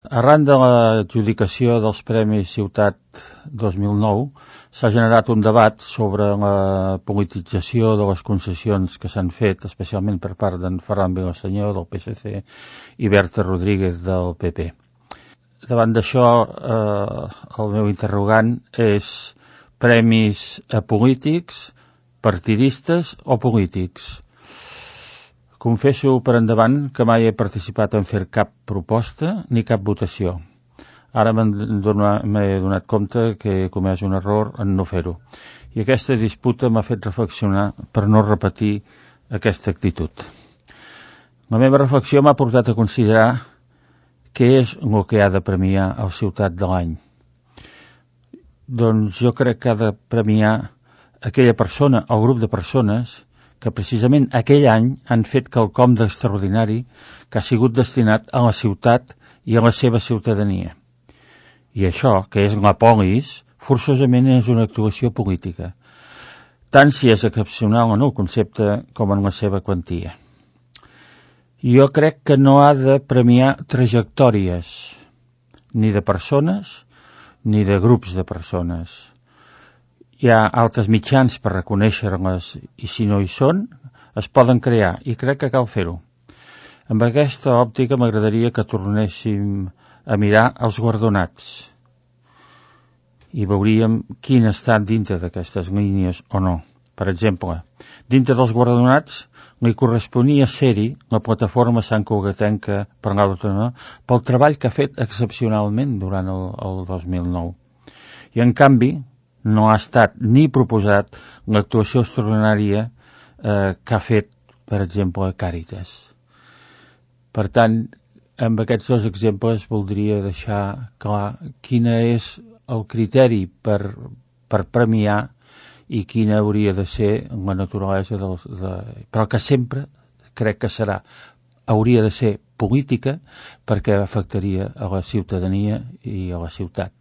Arran de l'adjudicació dels Premis Ciutat 2009 s'ha generat un debat sobre la politització de les concessions que s'han fet, especialment per part d'en Ferran Vilaseñor del PSC i Berta Rodríguez del PP. Davant d'això, el meu interrogant és premis a polítics, partidistes o polítics. Confesso per endavant que mai he participat en fer cap proposta ni cap votació. Ara m'he donat compte que he comès un error en no fer-ho. I aquesta disputa m'ha fet reflexionar per no repetir aquesta actitud. La meva reflexió m'ha portat a considerar què és el que ha de premiar el Ciutat de l'any. Doncs jo crec que ha de premiar aquella persona o grup de persones que precisament aquell any han fet quelcom d'extraordinari que ha sigut destinat a la ciutat i a la seva ciutadania. I això, que és la polis, forçosament és una actuació política, tant si és excepcional en el concepte com en la seva quantia. Jo crec que no ha de premiar trajectòries, ni de persones, ni de grups de persones. Hi ha altres mitjans per reconèixer-les i si no hi són, es poden crear i crec que cal fer-ho. Amb aquesta òptica m'agradaria que tornéssim a mirar els guardonats i veuríem quin està dintre d'aquestes línies o no. Per exemple, dintre dels guardonats li corresponia ser-hi la plataforma Sant Cugatenca per l'Autonomia pel treball que ha fet excepcionalment durant el 2009. I en canvi, no ha estat ni proposat l'actuació extraordinària que ha fet, per exemple, Càritas. Per tant, amb aquests dos exemples voldria deixar clar quin és el criteri per premiar i quina hauria de ser la naturalesa però que sempre crec que hauria de ser política perquè afectaria a la ciutadania i a la ciutat.